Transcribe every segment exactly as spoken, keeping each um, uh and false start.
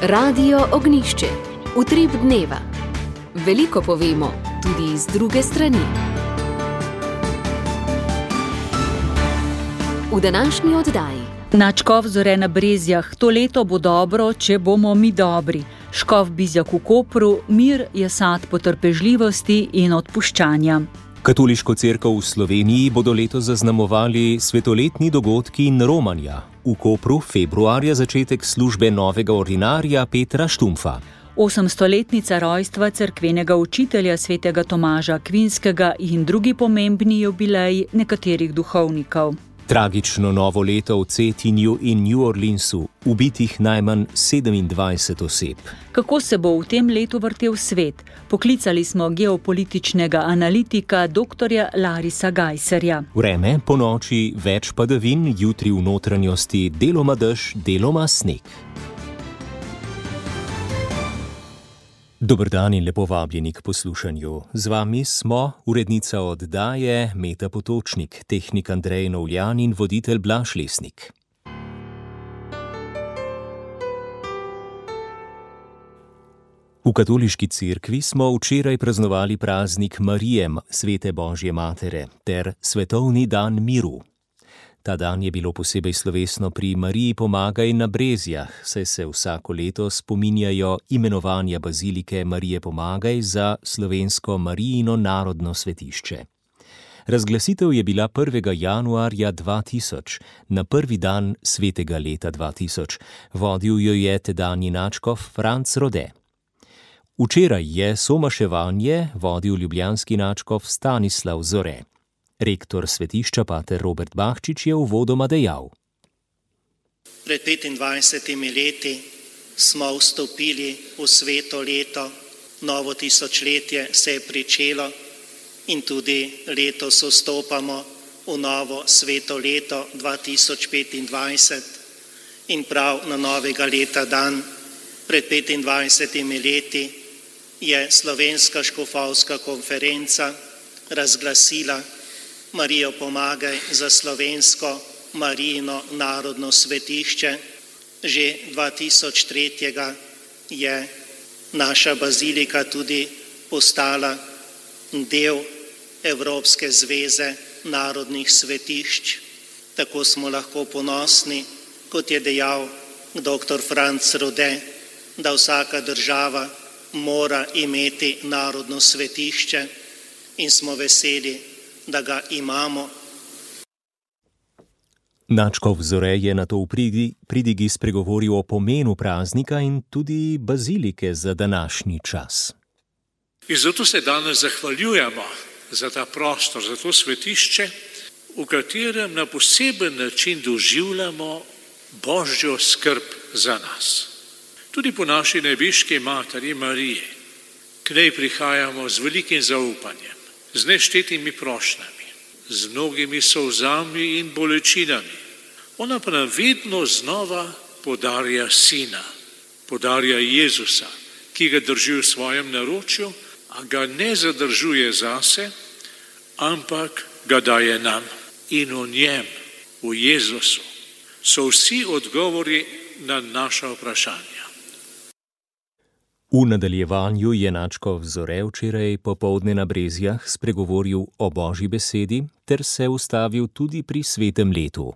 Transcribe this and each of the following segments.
Radio Ognjišče. Utrip dneva. Veliko povemo, tudi iz druge strani. V današnji oddaji. Nadškof Zore na Brezjah. To leto bo dobro, če bomo mi dobri. Škof Bizjak v Kopru. Mir je sad potrpežljivosti in odpuščanja. Katoliško cerkev v Sloveniji bodo letos zaznamovali svetoletni dogodki in romanja. V Kopru februarja začetek službe novega ordinarja Petra Štumfa. Osemstoletnica rojstva cerkvenega učitelja svetega Tomaža Akvinskega in drugi pomembni jubileji nekaterih duhovnikov. Tragično novo leto v Cetinju in New Orleansu, ubitih najmanj sedemindvajset oseb. Kako se bo v tem letu vrtel svet? Poklicali smo geopolitičnega analitika doktorja Larisa Gajserja. Vreme, po noči več padavin, jutri v notranjosti deloma dež, deloma sneg. Dober dan in lepo vabljeni k poslušanju. Z vami smo urednica oddaje Meta Potočnik, tehnik Andrej Novljan in voditelj Blaž Lesnik. V katoliški cerkvi smo včeraj praznovali praznik Marije, svete Božje matere, ter svetovni dan miru. Ta dan je bilo posebej slovesno pri Mariji Pomagaj na Brezjah, saj se vsako leto spominjajo imenovanja bazilike Marije Pomagaj za slovensko Marijino narodno svetišče. Razglasitev je bila prvega januarja dva tisoč, na prvi dan svetega leta dva tisoč. Vodil jo je tedanji nadškof Franc Rode. Včeraj je somaševanje vodil ljubljanski nadškof Stanislav Zore. Rektor svetišča pater Robert Bahčič je uvodoma dejal. Pred petindvajsetimi leti smo vstopili v sveto leto, novo tisočletje se je pričelo in tudi letos vstopamo v novo sveto leto dva tisoč petindvajset in prav na novega leta dan pred petindvajsetimi leti je Slovenska škofovska konferenca razglasila Marijo Pomagaj za slovensko Marijino narodno svetišče. Že dva tisoč tri je naša bazilika tudi postala del Evropske zveze narodnih svetišč. Tako smo lahko ponosni, kot je dejal doktor Franc Rode, da vsaka država mora imeti narodno svetišče in smo veseli, da ga imamo. Nadškof Zore je nato v pridigi spregovoril o pomenu praznika in tudi bazilike za današnji čas. In zato se danes zahvaljujemo za ta prostor, za to svetišče, v katerem na poseben način doživljamo Božjo skrb za nas. Tudi po naši nebeški materi Mariji, k njej prihajamo z velikim zaupanjem, z neštetimi prošnjami, z mnogimi solzami in bolečinami. Ona pa nam vedno znova podarja sina, podarja Jezusa, ki ga drži v svojem naročju, a ga ne zadržuje zase, ampak ga daje nam. In v njem, v Jezusu, so vsi odgovori na naša vprašanja. V nadaljevanju je nadškof Zore včeraj popoldne na Brezjah spregovoril o Božji besedi ter se ustavil tudi pri svetem letu.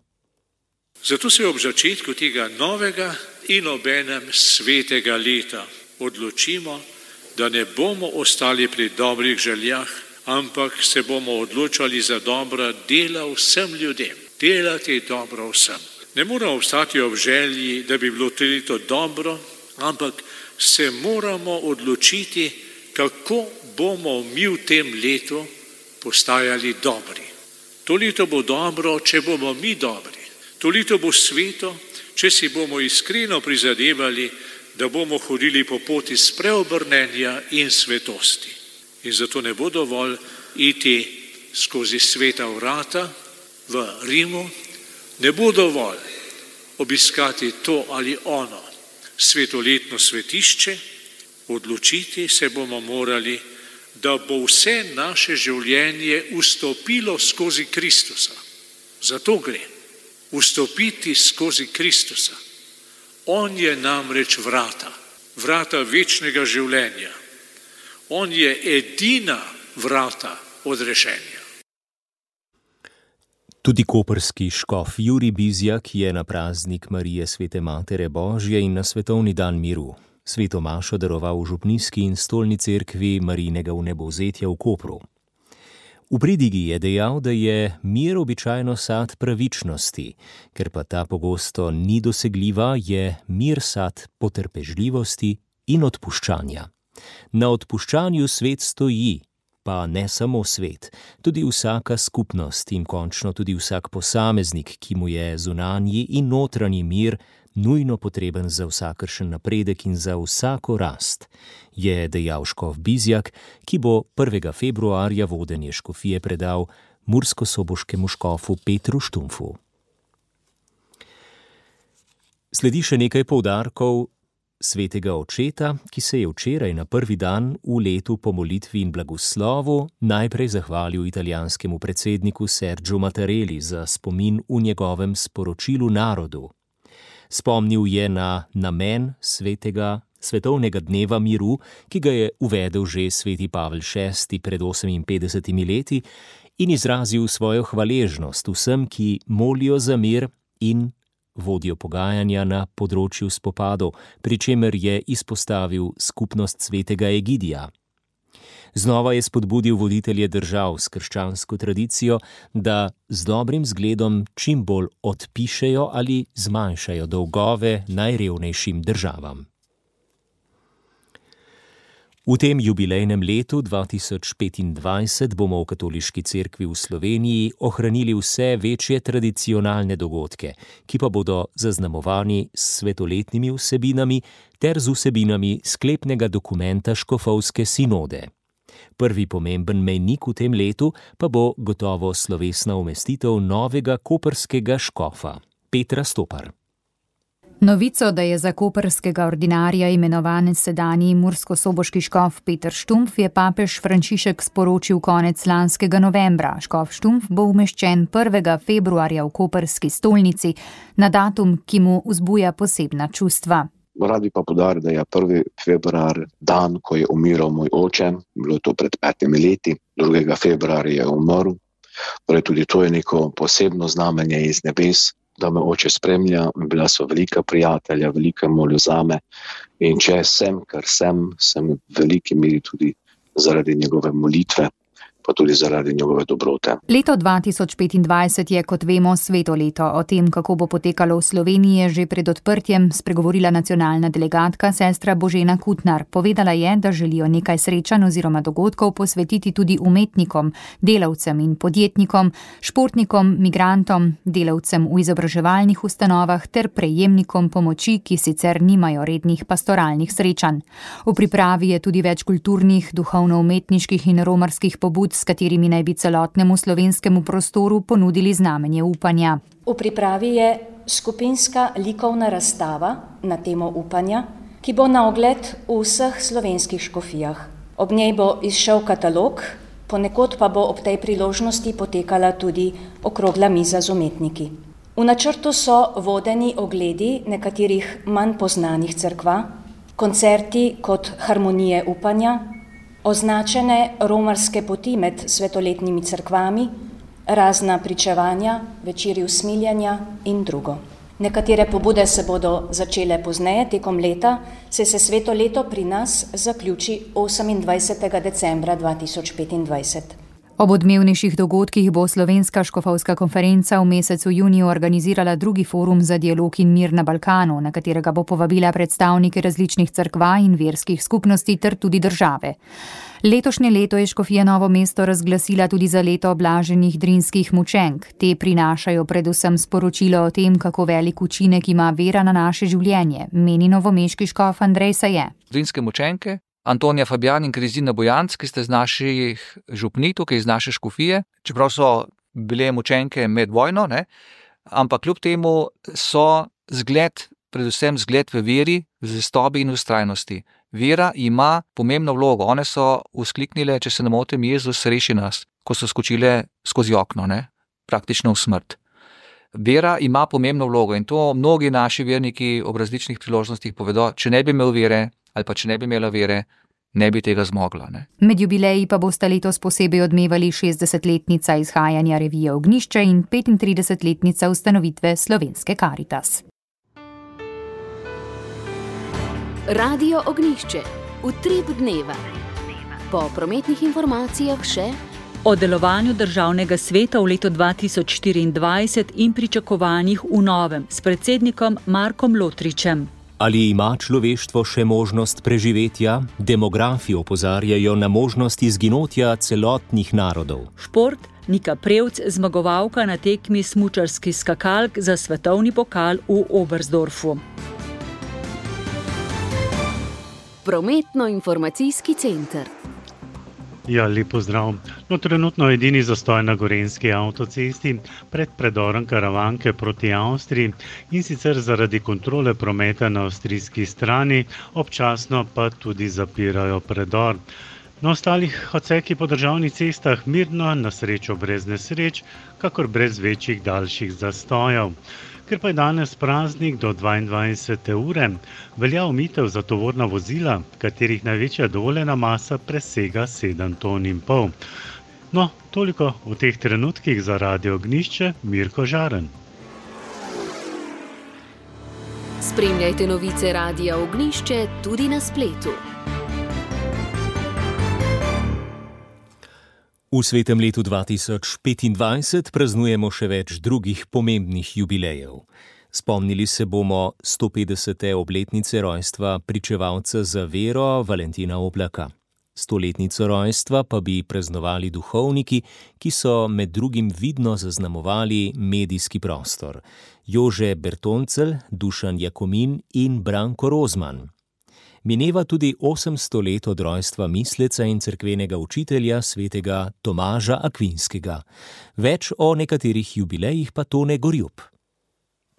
Zato se ob začetku tega novega in obenem svetega leta odločimo, da ne bomo ostali pri dobrih željah, ampak se bomo odločali za dobra dela vsem ljudem. Delati dobro vsem. Ne moramo obstati ob želji, da bi bilo to leto dobro, ampak se moramo odločiti, kako bomo mi v tem letu postajali dobri. To leto bo dobro, če bomo mi dobri. To leto bo sveto, če si bomo iskreno prizadevali, da bomo hodili po poti spreobrnenja in svetosti. In zato ne bo dovolj iti skozi sveta vrata v Rimu, ne bo dovolj obiskati to ali ono svetoletno svetišče, odločiti se bomo morali, da bo vse naše življenje vstopilo skozi Kristusa. Zato gre. Vstopiti skozi Kristusa. On je namreč vrata, vrata večnega življenja. On je edina vrata odrešenja. Tudi koprski škof Jurij Bizjak je na praznik Marije Svete Matere Božje in na svetovni dan miru sveto mašo daroval v župnijski in stolni cerkvi Marijinega vnebovzetja v Kopru. V pridigi je dejal, da je mir običajno sad pravičnosti, ker pa ta pogosto ni dosegljiva, je mir sad potrpežljivosti in odpuščanja. Na odpuščanju svet stoji, pa ne samo svet, tudi vsaka skupnost in končno tudi vsak posameznik, ki mu je zunanji in notranji mir nujno potreben za vsakršen napredek in za vsako rast, je dejal škof Bizjak, ki bo prvega februarja vodenje škofije predal murskosoboškemu škofu Petru Štumpfu. Sledi še nekaj poudarkov svetega očeta, ki se je včeraj na prvi dan v letu po molitvi in blagoslovu najprej zahvalil italijanskemu predsedniku Sergiu Mattarelli za spomin v njegovem sporočilu narodu. Spomnil je na namen svetega svetovnega dneva miru, ki ga je uvedel že sveti Pavel šesti pred oseminpetdesetimi leti, in izrazil svojo hvaležnost vsem, ki molijo za mir in vodijo pogajanja na področju spopadov, pri čemer je izpostavil skupnost svetega Egidija. Znova je spodbudil voditelje držav s krščansko tradicijo, da z dobrim zgledom čim bolj odpišejo ali zmanjšajo dolgove najrevnejšim državam. V tem jubilejnem letu dva tisoč petindvajset bomo v Katoliški cerkvi v Sloveniji ohranili vse večje tradicionalne dogodke, ki pa bodo zaznamovani s svetoletnimi vsebinami ter z vsebinami sklepnega dokumenta škofovske sinode. Prvi pomemben mejnik v tem letu pa bo gotovo slovesna umestitev novega koprskega škofa, Petra Stopar. Novico, da je za koprskega ordinarja imenovan sedanji murskosoboški škof Peter Štumpf, je papež Frančišek sporočil konec lanskega novembra. Škof Štumpf bo umeščen prvega februarja v koprski stolnici, na datum, ki mu vzbuja posebna čustva. Rad bi pa poudaril, da je prvi februar dan, ko je umiral moj oče, bilo je to pred petimi leti, drugega februarja je umrl. Torej tudi to je neko posebno znamenje iz nebes, da me oče spremlja, bila so velika prijatelja, velika molil zame in če sem, kar sem, sem v veliki meri tudi zaradi njegove molitve, pa tudi zaradi njegove dobrote. Leto dva tisoč petindvajset je, kot vemo, sveto leto. O tem, kako bo potekalo v Sloveniji, je že pred odprtjem spregovorila nacionalna delegatka sestra Božena Kutnar. Povedala je, da želijo nekaj srečanj oziroma dogodkov posvetiti tudi umetnikom, delavcem in podjetnikom, športnikom, migrantom, delavcem v izobraževalnih ustanovah ter prejemnikom pomoči, ki sicer nimajo rednih pastoralnih srečanj. V pripravi je tudi več kulturnih, duhovno-umetniških in romarskih pobud, s katerimi naj bi celotnemu slovenskemu prostoru ponudili znamenje upanja. V pripravi je skupinska likovna razstava na temo upanja, ki bo na ogled v vseh slovenskih škofijah. Ob njej bo izšel katalog, ponekod pa bo ob tej priložnosti potekala tudi okrogla miza z umetniki. V načrtu so vodeni ogledi nekaterih manj poznanih cerkva, koncerti kot Harmonije upanja, označene romarske poti med svetoletnimi cerkvami, razna pričevanja, večeri usmiljanja in drugo. Nekatere pobude se bodo začele pozneje tekom leta, saj se sveto leto pri nas zaključi osemindvajsetega decembra dva tisoč petindvajset. Ob odmevnejših dogodkih bo Slovenska škofovska konferenca v mesecu juniju organizirala drugi forum za dialog in mir na Balkanu, na katerega bo povabila predstavnike različnih cerkva in verskih skupnosti ter tudi države. Letošnje leto je škofija Novo mesto razglasila tudi za leto blaženih drinskih mučenk. Te prinašajo predvsem sporočilo o tem, kako velik učinek ima vera na naše življenje, meni novomeški škof Andrej Saje. Drinske mučenke, Antonija Fabijan in Krizina Bojanc, ki ste z naših župnij, tukaj iz naše škofije, čeprav so bile mučenke med vojno, ne, ampak kljub temu so zgled, predvsem zgled v veri, v zvestobi in vztrajnosti. Vera ima pomembno vlogo. One so vzkliknile, če se ne motim, Jezus reši nas, ko so skočile skozi okno, ne, praktično v smrt. Vera ima pomembno vlogo in to mnogi naši verniki ob različnih priložnostih povedo, če ne bi imel vere ali pa če ne bi imela vere, ne bi tega zmogla. Ne? Med jubileji pa bosta letos posebej odmevali šestdesetletnica izhajanja revije Ognjišče in petintridesetletnica ustanovitve Slovenske Karitas. Radio Ognjišče. Utrip dneva. Po prometnih informacijah še o delovanju Državnega sveta v letu dva tisoč štiriindvajset in pričakovanjih v novem s predsednikom Markom Lotričem. Ali ima človeštvo še možnost preživetja? Demografi opozarjajo na možnost izginotja celotnih narodov. Šport, Nika Prevc, zmagovalka na tekmi smučarskih skakalk za svetovni pokal v Oberstdorfu. Prometno-informacijski center. Ja, lep pozdrav. No, trenutno edini zastoj na gorenjski avtocesti pred predorom Karavanke proti Avstriji in sicer zaradi kontrole prometa na avstrijski strani, občasno pa tudi zapirajo predor. Na ostalih odsekih po državnih cestah mirno, na srečo brez nesreč, kakor brez večjih daljših zastojev. Ker pa je danes praznik do dvaindvajsete ure, velja omejitev za tovorna vozila, katerih največja dovoljena masa presega sedem ton in pol. No, toliko v teh trenutkih za Radio Ognjišče, Mirko Žaren. Spremljajte novice Radia Ognjišče tudi na spletu. V svetem letu dva tisoč petindvajset praznujemo še več drugih pomembnih jubilejev. Spomnili se bomo stopetdesete obletnice rojstva pričevalca za vero Valentina Oblaka. Stoletnico rojstva pa bi praznovali duhovniki, ki so med drugim vidno zaznamovali medijski prostor. Jože Bertoncelj, Dušan Jakomin in Branko Rozman. Mineva tudi osemsto let od rojstva misleca in cerkvenega učitelja svetega Tomaža Akvinskega. Več o nekaterih jubilejih pa Tone Gorjup.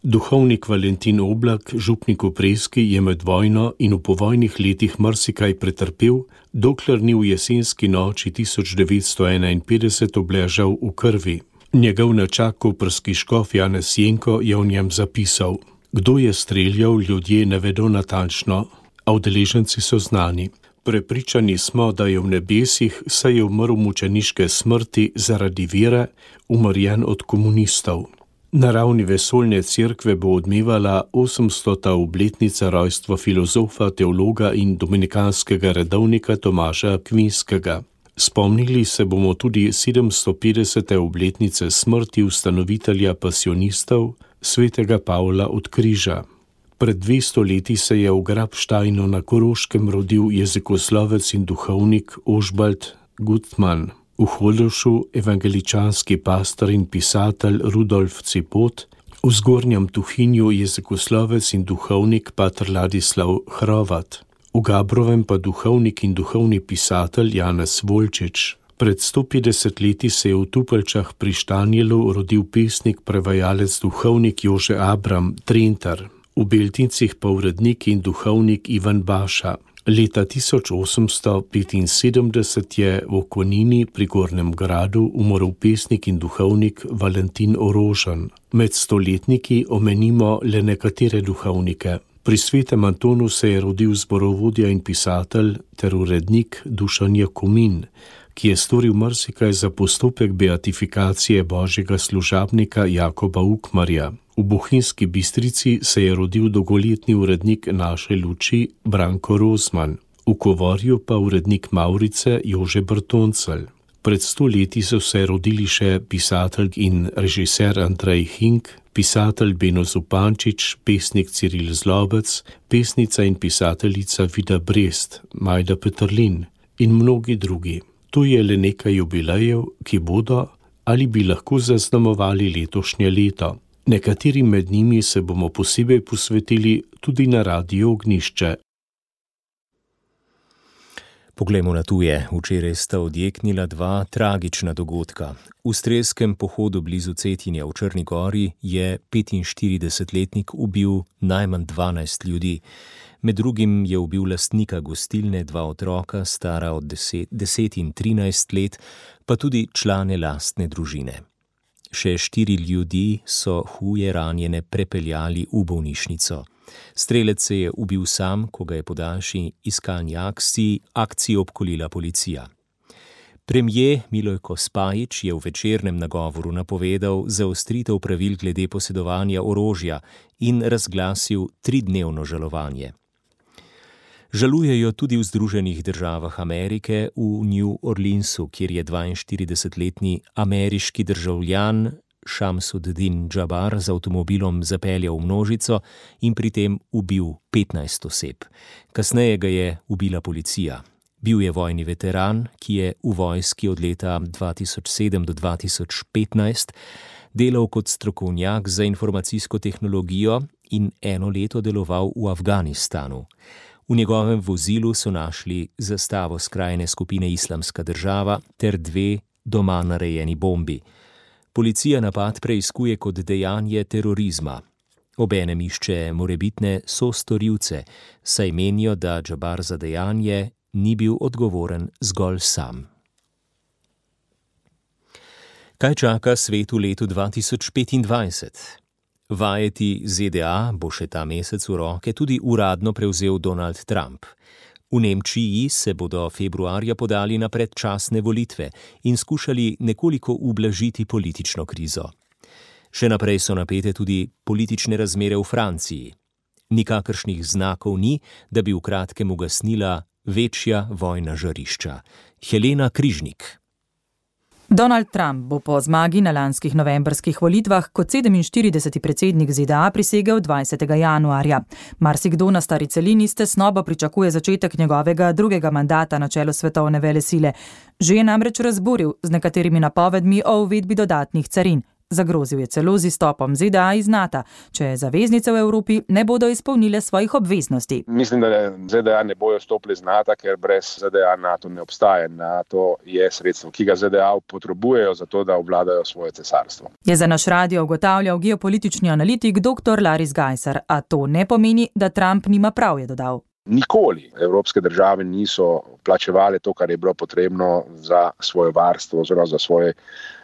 Duhovnik Valentin Oblak, župnik v Preski, je med vojno in v povojnih letih marsikaj pretrpel, dokler ni v jesenski noči tisoč devetsto enainpetdeset obležal v krvi. Njegov nečak koprski škof Janez Jenko je v njem zapisal: Kdo je streljal, ljudje ne vedo natančno, a udeleženci so znani. Prepričani smo, da je v nebesih, saj je umrl mučeniške smrti zaradi vere, umrjen od komunistov. Na ravni vesoljne cerkve bo odmevala osemstota obletnica rojstva filozofa, teologa in dominikanskega redovnika Tomaža Akvinskega. Spomnili se bomo tudi sedemstopetdesete obletnice smrti ustanovitelja pasionistov, svetega Pavla od Križa. Pred dvesto leti se je v Grabštajnu na Koroškem rodil jezikoslovec in duhovnik Ožbalt Gutmann. V Hodošu evangeličanski pastor in pisatelj Rudolf Cipot, v Zgornjem Tuhinju jezikoslovec in duhovnik pater Ladislav Hrovat, v Gabrovem pa duhovnik in duhovni pisatelj Janez Volčič. Pred sto petdeset leti se je v Tupelčah pri Štanjelu rodil pesnik, prevajalec, duhovnik Jože Abram Trentar. V Beltincih pa urednik in duhovnik Ivan Baša. Leta tisoč osemsto petinsedemdeset je v Konini pri Gornjem Gradu umrl pesnik in duhovnik Valentin Orožen. Med stoletniki omenimo le nekatere duhovnike. Pri svetem Antonu se je rodil zborovodja in pisatelj ter urednik Dušan Jakomin, ki je storil marsikaj za postopek beatifikacije božjega služabnika Jakoba Ukmarja. V Bohinjski Bistrici se je rodil dolgoletni urednik Naše luči Branko Rozman, v Kovorju pa urednik Mavrice Jože Bertoncelj. Pred sto leti so se rodili še pisatelj in režiser Andrej Hink, pisatelj Beno Zupančič, pesnik Ciril Zlobec, pesnica in pisateljica Vida Brest, Majda Peterlin in mnogi drugi. Tu je le nekaj jubilejev, ki bodo ali bi lahko zaznamovali letošnje leto. Nekaterim med njimi se bomo posebej posvetili tudi na Radiu Ognjišče. Poglejmo na tuje. Včeraj sta odjeknila dva tragična dogodka. V strelskem pohodu blizu Cetinja v Črni gori je petinštiridesetletnik ubil najmanj dvanajst ljudi. Med drugim je ubil lastnika gostilne, dva otroka, stara od deset, deset in trinajst let, pa tudi člane lastne družine. Še štiri ljudi so huje ranjene prepeljali v bolnišnico. Strelec se je ubil sam, ko ga je po daljši iskalni akciji, akciji obkolila policija. Premijer Milojko Spajić je v večernem nagovoru napovedal zaostritev pravil glede posedovanja orožja in razglasil tridnevno žalovanje. Žalujejo tudi v Združenih državah Amerike v New Orleansu, kjer je dvainštiridesetletni ameriški državljan Šamsuddin Džabar z avtomobilom zapeljal v množico in pri tem ubil petnajst oseb. Kasneje ga je ubila policija. Bil je vojni veteran, ki je v vojski od leta dva tisoč sedem do dva tisoč petnajst delal kot strokovnjak za informacijsko tehnologijo in eno leto deloval v Afganistanu. V njegovem vozilu so našli zastavo skrajne skupine Islamska država ter dve doma narejeni bombi. Policija napad preiskuje kot dejanje terorizma. Obenem išče morebitne sostorilce, saj menijo, da Džabar za dejanje ni bil odgovoren zgolj sam. Kaj čaka svet v letu dva tisoč petindvajset? Vajeti Z D A bo še ta mesec v roke tudi uradno prevzel Donald Trump. V Nemčiji se bodo februarja podali na predčasne volitve in skušali nekoliko ublažiti politično krizo. Še naprej so napete tudi politične razmere v Franciji. Nikakršnih znakov ni, da bi v kratkem ugasnila večja vojna žarišča. Helena Križnik. Donald Trump bo po zmagi na lanskih novembrskih volitvah kot sedeminštirideseti predsednik Z D A prisegel dvajsetega januarja. Marsikdo na stari celini s tesnobo pričakuje začetek njegovega drugega mandata na čelu svetovne velesile. Že je namreč razburil z nekaterimi napovedmi o uvedbi dodatnih carin. Zagrozil je celo z izstopom Z D A iz Nata, če zaveznice v Evropi ne bodo izpolnile svojih obveznosti. Mislim, da Z D A ne bojo stopili z Nata, ker brez Z D A NATO ne obstaja. NATO je sredstvo, ki ga Z D A potrebujejo za to, da obvladajo svoje cesarstvo. Je za naš radio ugotavljal geopolitični analitik doktor Laris Gajser, a to ne pomeni, da Trump nima prav, je dodal. Nikoli evropske države niso plačevale to, kar je bilo potrebno za svoje varstvo oziroma za svoj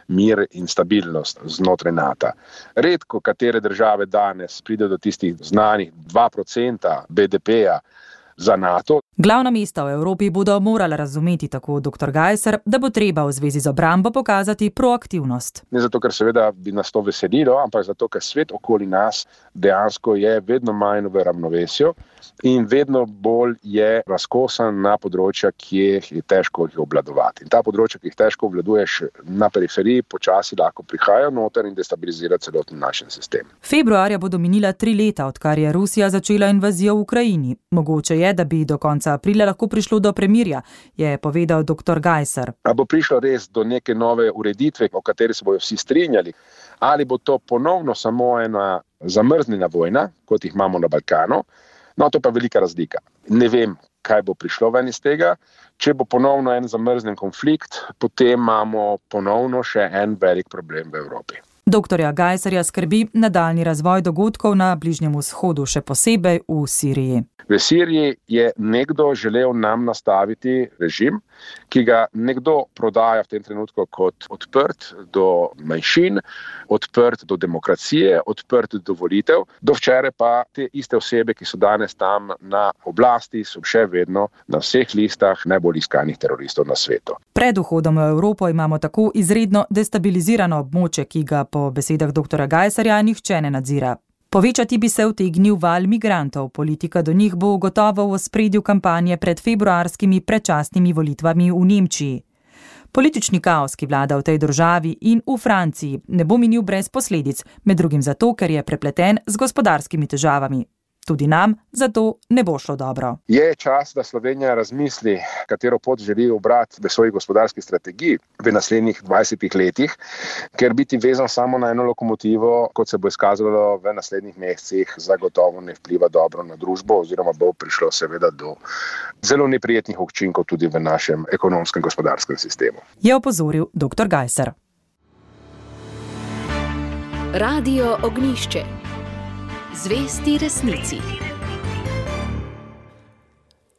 mir in stabilnost znotraj Nata. Redko katere države danes pride do tistih znanih dva procenta B D P-ja za NATO. Glavna mesta v Evropi bodo morala razumeti, tako doktor Gajser, da bo treba v zvezi z obrambo pokazati proaktivnost. Ne zato, ker seveda bi nas to veselilo, ampak zato, ker svet okoli nas dejansko je vedno manj v ravnovesju in vedno bolj je razkosan na področja, ki je težko jih obvladovati. In ta področja, ki jih težko obvladuješ na periferiji, počasi lahko prihajajo noter in destabilizirajo celoten naš sistem. Februarja bodo minila tri leta, odkar je Rusija začela invazijo v Ukrajini. Mogoče je, da bi do konca aprila lahko prišlo do premirja, je povedal doktor Gajser. A bo prišlo res do neke nove ureditve, o kateri se bojo vsi strinjali, ali bo to ponovno samo ena zamrznjena vojna, kot jih imamo na Balkanu? No, to pa je velika razlika. Ne vem, kaj bo prišlo ven iz tega. Če bo ponovno en zamrznjen konflikt, potem imamo ponovno še en velik problem v Evropi. Doktorja Gajserja skrbi nadaljnji razvoj dogodkov na Bližnjem vzhodu, še posebej v Siriji. V Siriji je nekdo želel nam nastaviti režim, ki ga nekdo prodaja v tem trenutku kot odprt do manjšin, odprt do demokracije, odprt do volitev. Do včeraj pa te iste osebe, ki so danes tam na oblasti, so še vedno na vseh listah najbolj iskanih teroristov na svetu. Pred vhodom v Evropo imamo tako izredno destabilizirano območje, ki ga po besedah doktora Gajserja nihče ne nadzira. Povečati bi se utegnil val migrantov, politika do njih bo gotovo v ospredju kampanje pred februarskimi predčasnimi volitvami v Nemčiji. Politični kaos, ki vlada v tej državi in v Franciji, ne bo minil brez posledic, med drugim zato, ker je prepleten z gospodarskimi težavami. Tudi nam zato ne bo šlo dobro. Je čas, da Slovenija razmisli, katero pot želi ubrati v svoji gospodarski strategiji v naslednjih dvajsetih letih, ker biti vezan samo na eno lokomotivo, kot se bo izkazalo v naslednjih mesecih, zagotovo ne vpliva dobro na družbo oziroma bo prišlo seveda do zelo neprijetnih učinkov tudi v našem ekonomskem gospodarskem sistemu. Je opozoril doktor Gajser. Radio Ognjišče. Zvesti resnici.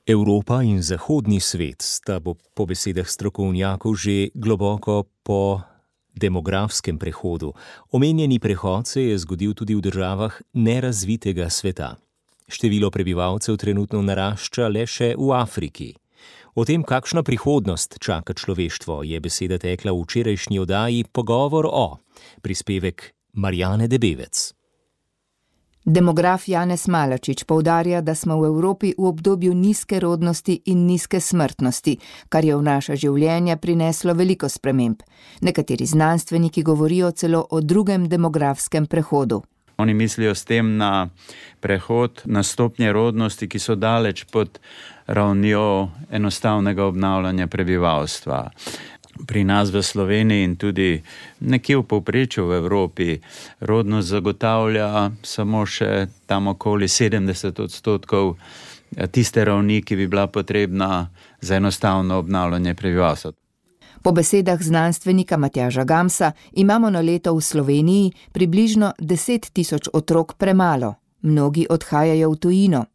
Evropa in zahodni svet sta po besedah strokovnjakov že globoko po demografskem prehodu. Omenjeni prehod se je zgodil tudi v državah nerazvitega sveta. Število prebivalcev trenutno narašča le še v Afriki. O tem, kakšna prihodnost čaka človeštvo, je beseda tekla v včerajšnji oddaji Pogovor o. Prispevek Marjane Debevec. Demograf Janez Malačič poudarja, da smo v Evropi v obdobju nizke rodnosti in nizke smrtnosti, kar je v naša življenja prineslo veliko sprememb. Nekateri znanstveniki govorijo celo o drugem demografskem prehodu. Oni mislijo s tem na prehod na stopnje rodnosti, ki so daleč pod ravnjo enostavnega obnavljanja prebivalstva. Pri nas v Sloveniji in tudi nekje v povprečju v Evropi rodnost zagotavlja samo še tam okoli sedemdeset odstotkov tiste ravni, ki bi bila potrebna za enostavno obnavljanje prebivalstva. Po besedah znanstvenika Matjaža Gamsa imamo na leto v Sloveniji približno deset tisoč otrok premalo. Mnogi odhajajo v tujino.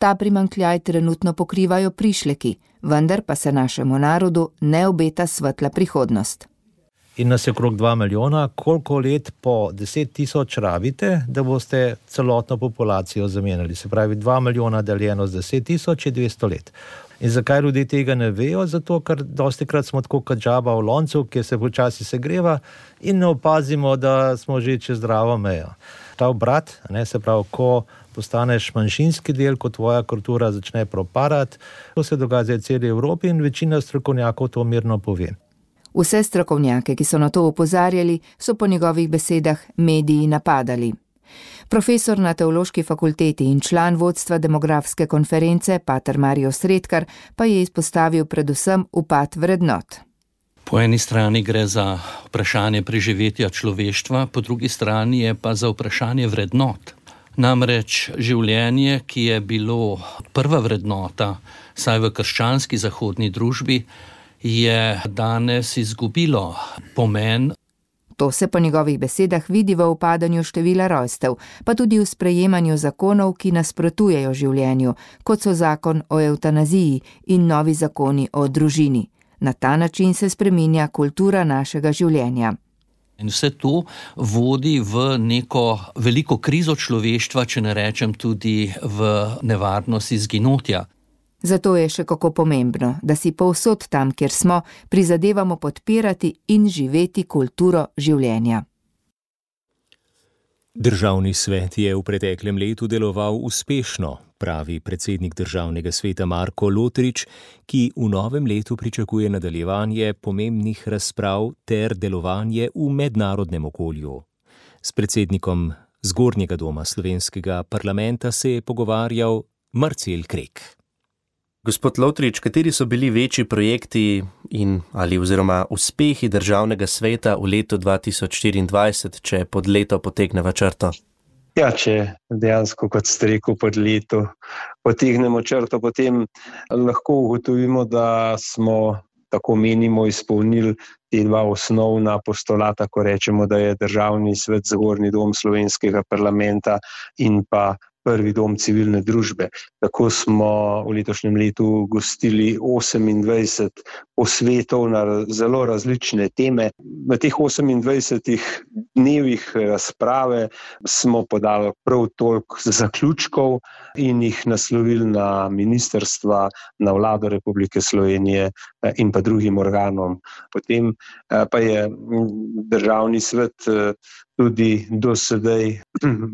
Ta primanjkljaj trenutno pokrivajo prišleki, vendar pa se našemu narodu ne obeta svetla prihodnost. In nas je okrog dva milijona, koliko let po deset tisoč rabite, da boste celotno populacijo zamenjali? Se pravi, dva milijona deljeno z deset tisoč je dvesto let. In zakaj ljudje tega ne vejo? Zato, ker dostikrat smo tako kot žaba v loncu, ki se počasi segreva in ne opazimo, da smo že čez zdravo mejo. Ta obrat, ne, se pravi, ko postaneš manjšinski del, ko tvoja kultura začne propadati, to se dogaja zdaj v celi Evropi in večina strokovnjakov to mirno pove. Vse strokovnjake, ki so na to opozarjali, so po njegovih besedah mediji napadali. Profesor na Teološki fakulteti in član vodstva demografske konference, pater Marijo Sredkar, pa je izpostavil predvsem upad vrednot. Po eni strani gre za vprašanje preživetja človeštva, po drugi strani je pa za vprašanje vrednot. Namreč življenje, ki je bilo prva vrednota, saj v krščanski zahodni družbi, je danes izgubilo pomen. To se po njegovih besedah vidi v upadanju števila rojstev, pa tudi v sprejemanju zakonov, ki nasprotujejo življenju, kot so zakon o evtanaziji in novi zakoni o družini. Na ta način se spreminja kultura našega življenja. In vse to vodi v neko veliko krizo človeštva, če ne rečem tudi v nevarnost izginotja. Zato je še kako pomembno, da si povsod tam, kjer smo, prizadevamo podpirati in živeti kulturo življenja. Državni svet je v preteklem letu deloval uspešno, pravi predsednik Državnega sveta Marko Lotrič, ki v novem letu pričakuje nadaljevanje pomembnih razprav ter delovanje v mednarodnem okolju. S predsednikom Zgornjega doma slovenskega parlamenta se je pogovarjal Marcel Krek. Gospod Lotrič, kateri so bili večji projekti in ali oziroma uspehi Državnega sveta v letu dva tisoč štiriindvajset, če pod leto potegneva črto? Ja, če dejansko, kot ste rekel, pod leto potegnemo črto, potem lahko ugotovimo, da smo, tako menimo, izpolnili te dva osnovna postulata, ko rečemo, da je Državni svet Zgornji dom slovenskega parlamenta in pa prvi dom civilne družbe. Tako smo v letošnjem letu gostili osemindvajset posvetov na zelo različne teme. V teh osemindvajsetih dnevih razprave smo podali prav toliko zaključkov in jih naslovili na ministrstva, na Vlado Republike Slovenije in pa drugim organom. Potem pa je Državni svet tudi do sedaj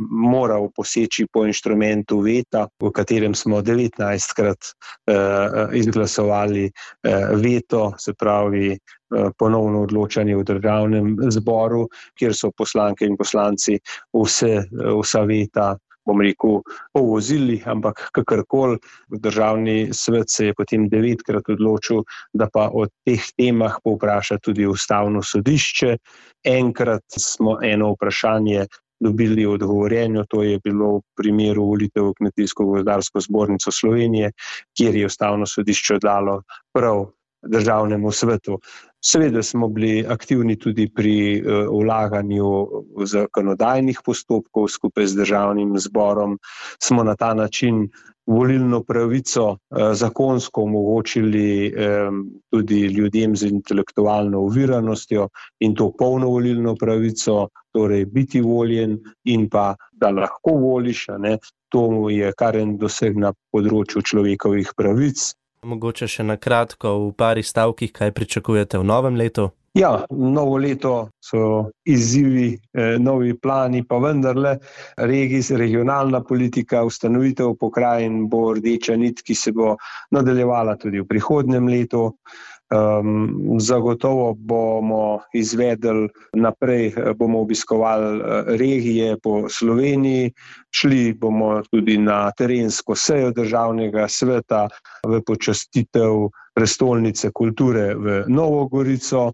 moral poseči po inštrumentu veta, v katerem smo devetnajstkrat uh, izglasovali uh, veto, se pravi uh, ponovno odločanje v Državnem zboru, kjer so poslanke in poslanci vse, vsa veta, bom rekel, povozili, ampak kakorkoli Državni svet se je potem devetkrat odločil, da pa o teh temah povpraša tudi Ustavno sodišče. Enkrat smo eno vprašanje dobili odgovorjeno, to je bilo v primeru volitev v Kmetijsko-gozdarsko zbornico Slovenije, kjer je Ustavno sodišče dalo prav državnemu svetu. Seveda smo bili aktivni tudi pri vlaganju zakonodajnih postopkov skupaj z državnim zborom. Smo na ta način volilno pravico zakonsko omogočili tudi ljudem z intelektualno oviranostjo in to polno volilno pravico, torej biti voljen in pa da lahko voliš, ne? To je kar en doseg na področju človekovih pravic. Mogoče še na kratko v pari stavkih, kaj pričakujete v novem letu? Ja, novo leto so izzivi, eh, novi plani, pa vendarle regijs, regionalna politika, ustanovitev pokrajin bo rdeča nit, ki se bo nadaljevala tudi v prihodnjem letu. Um, zagotovo bomo izvedli naprej, bomo obiskovali regije po Sloveniji, šli bomo tudi na terensko sejo državnega sveta v počastitev prestolnice kulture v Novo Gorico,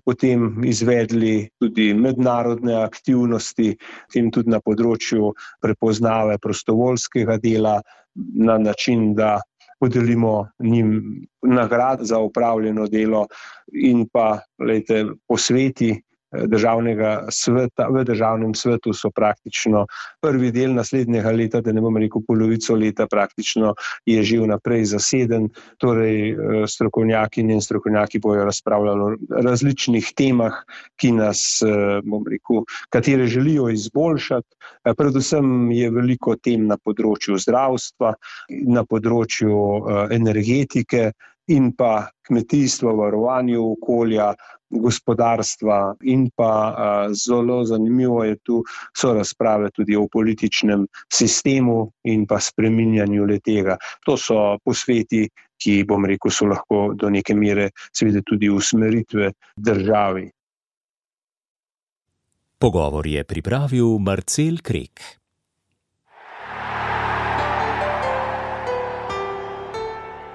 potem izvedli tudi mednarodne aktivnosti, tem tudi na področju prepoznave prostovoljskega dela na način, da podelimo njim nagrad za opravljeno delo in pa lejte, posveti državnega sveta, v državnem svetu so praktično prvi del naslednjega leta, da ne bom rekel polovico leta, praktično je že vnaprej zaseden, torej strokovnjaki in strokovnjaki bojo razpravljali o različnih temah, ki nas, bom rekel, katere želijo izboljšati. Predvsem je veliko tem na področju zdravstva, na področju energetike in pa kmetijstva, varovanja okolja, gospodarstva in pa a, zelo zanimivo je tu so razprave tudi o političnem sistemu in pa spreminjanju le-tega. To so posveti, ki, bom rekel, so lahko do neke mere seveda tudi usmeritve državi. Pogovor je pripravil Marcel Krek.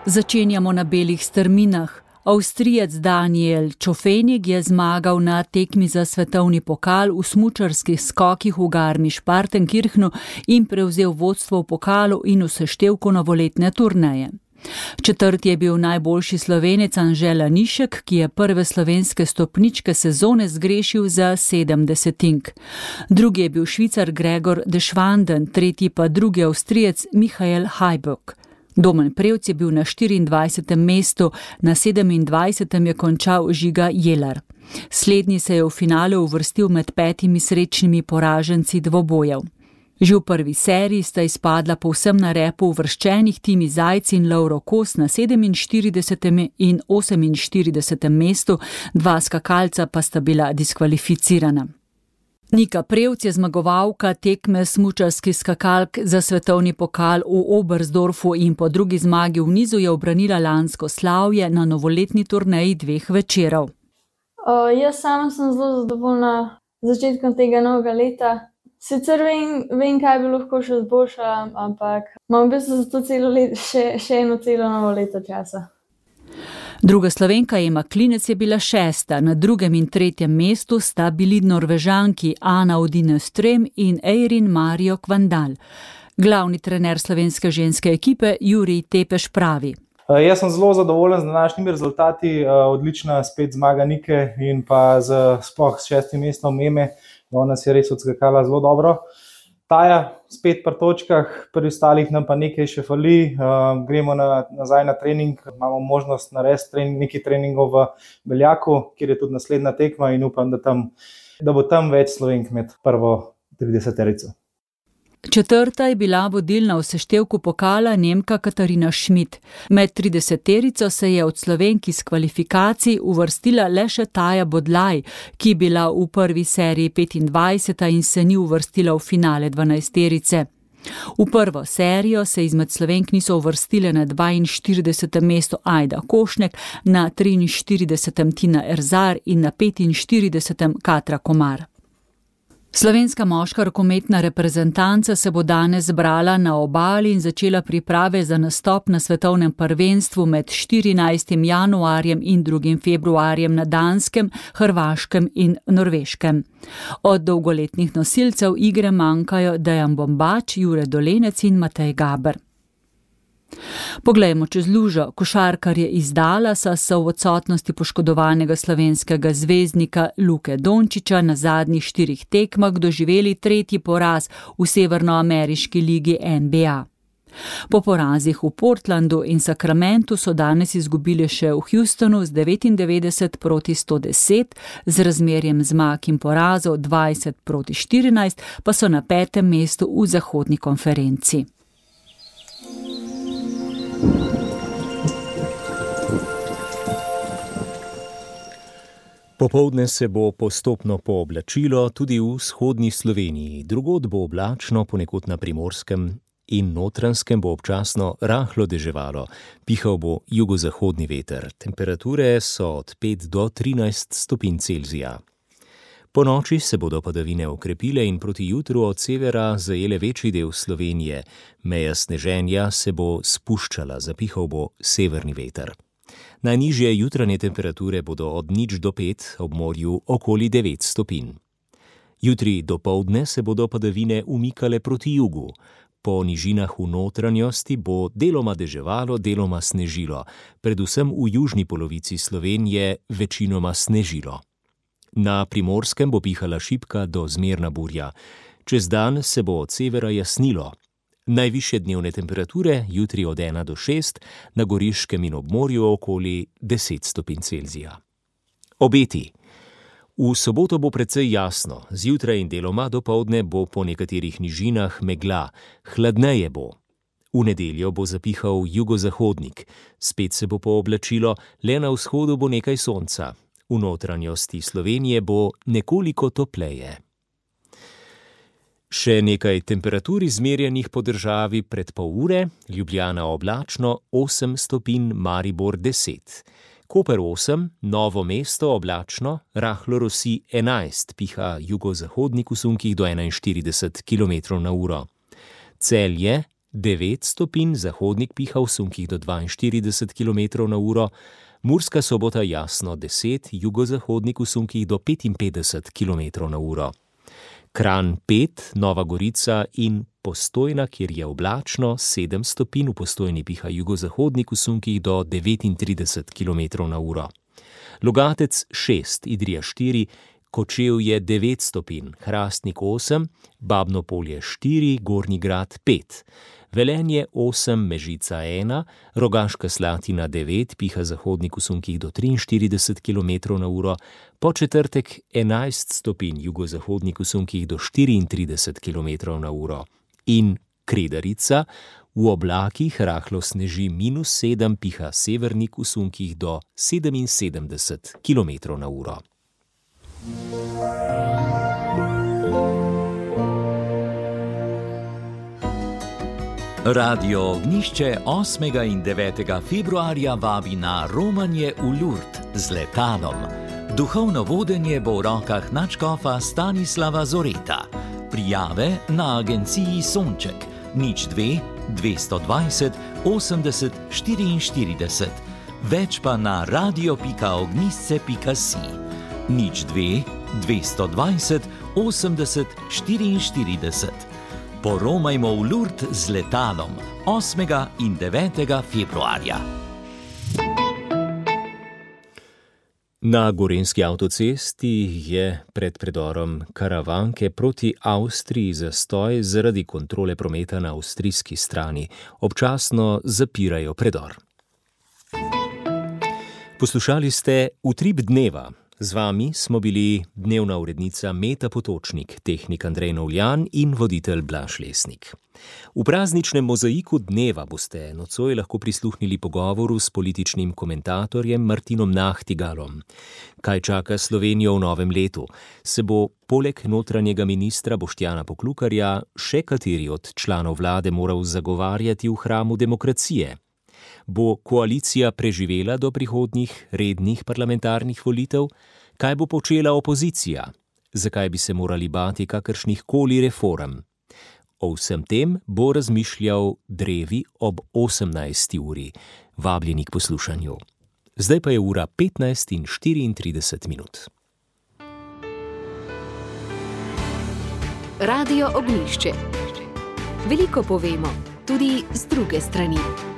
Začenjamo na belih strminah. Avstrijec Daniel Čofenig je zmagal na tekmi za svetovni pokal v smučarskih skokih v Garmisch-Partenkirchnu in prevzel vodstvo v pokalu in v seštevku novoletne turneje. Četrti je bil najboljši Slovenec Anže Lanišek, ki je prve slovenske stopničke sezone zgrešil za sedem desetink. Drugi je bil Švicar Gregor Deschwanden, tretji pa drugi Avstrijec Michael Hajbuk. Domen Prevc je bil na štiriindvajsetem mestu, na sedemindvajsetem je končal Žiga Jelar. Slednji se je v finale uvrstil med petimi srečnimi poraženci dvobojev. Že v prvi seriji sta izpadla povsem na repu uvrščenih Timi Zajc in Lovro Kos na sedeminštiridesetem in oseminštiridesetem mestu, dva skakalca pa sta bila diskvalificirana. Nika Prevc je zmagovalka tekme smučarskih skakalk za svetovni pokal v Oberstdorfu in po drugi zmagi v nizu je obranila lansko slavje na novoletni turneji dveh večerov. Uh, jaz sama sem zelo zadovoljna z začetkom tega novega leta. Sicer vem, vem kaj bi lahko še izboljšala, ampak imam v bistvu za to celo let, še, še eno celo novo leto časa. Druga Slovenka Ema Klinec je bila šesta, na drugem in tretjem mestu sta bili Norvežanki Ana Odine Strem in Eirin Mario Kvandal. Glavni trener slovenske ženske ekipe Jurij Tepeš pravi. Jaz sem zelo zadovoljen z današnjimi rezultati, odlična spet zmaga Nike in pa z sploh s šestim mestom Eme, ona si je res odskakala zelo dobro. Taja spet pri točkah, pri ostalih nam pa nekaj še fali, uh, gremo na, nazaj na trening, imamo možnost narediti trening, nekaj treningov v Beljaku, kjer je tudi naslednja tekma in upam, da, tam, da bo tam več Slovenk med prvo trideseterico. Četrta je bila vodilna v seštevku pokala Nemka Katarina Schmidt. Med trideseterico se je od Slovenk iz kvalifikacij uvrstila le še Taja Bodlaj, ki je bila v prvi seriji petindvajseta in se ni uvrstila v finale dvanajsterice. V prvo serijo se izmed Slovenk niso uvrstile na dvainštiridesetem mestu Ajda Košnek, na triinštiridesetem Tina Erzar in na petinštiridesetem Katra Komar. Slovenska moška rokometna reprezentanca se bo danes zbrala na obali in začela priprave za nastop na svetovnem prvenstvu med štirinajstim januarjem in drugim februarjem na Danskem, Hrvaškem in Norveškem. Od dolgoletnih nosilcev igre manjkajo Dejan Bombač, Jure Dolenec in Matej Gaber. Poglejmo čez lužo. Košarkarje iz Dallasa so v odsotnosti poškodovanega slovenskega zvezdnika Luke Dončića na zadnjih štirih tekmah doživeli tretji poraz v severnoameriški ligi N B A. Po porazih v Portlandu in Sacramentu so danes izgubili še v Houstonu z devetindevetdeset proti sto deset, z razmerjem zmag in porazov dvajset proti štirinajst, pa so na petem mestu v zahodni konferenci. Popoldne se bo postopno pooblačilo tudi v vzhodni Sloveniji. Drugod bo oblačno, ponekod na Primorskem in Notranjskem bo občasno rahlo deževalo. Pihal bo jugozahodni veter. Temperature so od pet do trinajst stopinj Celzija. Po noči se bodo padavine okrepile in proti jutru od severa zajele večji del Slovenije. Meja sneženja se bo spuščala, zapihal bo severni veter. Najnižje jutranje temperature bodo od nič do pet, ob morju okoli devet stopinj. Jutri dopoldne se bodo padavine umikale proti jugu. Po nižinah v notranjosti bo deloma deževalo, deloma snežilo. Predvsem v južni polovici Slovenije večinoma snežilo. Na Primorskem bo pihala šibka do zmerna burja. Čez dan se bo od severa jasnilo. Najvišje dnevne temperature jutri od ena do šest, na Goriškem in ob morju okoli deset stopinj Celzija. Obeti. V soboto bo precej jasno, zjutraj in deloma dopoldne bo po nekaterih nižinah megla, hladneje bo. V nedeljo bo zapihal jugozahodnik, spet se bo pooblačilo, le na vzhodu bo nekaj sonca. V notranjosti Slovenije bo nekoliko topleje. Še nekaj temperatur izmerjenih po državi pred pol ure, Ljubljana oblačno, osem stopinj, Maribor deset. Koper osem, Novo mesto oblačno, rahlo rosi enajst, piha jugozahodnik v sunkih do enainštirideset kilometrov na uro. Celje devet stopinj, zahodnik piha v sunkih do dvainštirideset kilometrov na uro, Murska Sobota jasno deset, jugozahodnik v sunkih do petinpetdeset kilometrov na uro. Kranj pet, Nova Gorica in Postojna, kjer je oblačno, sedem stopinj, v Postojni piha jugozahodnik v sunkih do devetintrideset kilometrov na uro. Logatec šest, Idrija štiri, Kočevje devet stopinj, Hrastnik osem, Babno Polje štiri, Gornji Grad pet. Velenje osem, Mežica ena, Rogaška Slatina devet, piha zahodnik v sunkih do triinštirideset kilometrov na uro, po četrtek enajst stopinj, jugozahodnik v sunkih do štiriintrideset kilometrov na uro. In Kredarica, v oblakih rahlo sneži minus sedem, piha severnik v sunkih do sedeminsedemdeset kilometrov na uro. Radio Ognjišče osmega in devetega februarja vabi na romanje v Lurd z letalom. Duhovno vodenje bo v rokah nadškofa Stanislava Zoreta. Prijave na agenciji Sonček nič dve dvesto dvajset osemdeset štiriinštirideset, več pa na radio pika ognjišče pika si. nič dve dvesto dvajset osemdeset štiriinštirideset. Poromajmo v Lurd z letalom osmega in devetega februarja. Na gorenjski avtocesti je pred predorom Karavanke proti Avstriji zastoj zaradi kontrole prometa na avstrijski strani. Občasno zapirajo predor. Poslušali ste Utrip dneva. Z vami smo bili dnevna urednica Meta Potočnik, tehnik Andrej Novljan in voditelj Blaž Lesnik. V prazničnem mozaiku dneva boste nocoj lahko prisluhnili pogovoru s političnim komentatorjem Martinom Nahtigalom. Kaj čaka Slovenijo v novem letu? Se bo poleg notranjega ministra Boštjana Poklukarja še kateri od članov vlade moral zagovarjati v hramu demokracije? Bo koalicija preživela do prihodnjih rednih parlamentarnih volitev? Kaj bo počela opozicija? Zakaj bi se morali bati kakršnih koli reform? O vsem tem bo razmišljal Drevi ob osemnajsti uri. Vabljeni k poslušanju. Zdaj pa je ura petnajst in štiriintrideset minut. Radio Ognjišče. Veliko povemo, tudi z druge strani.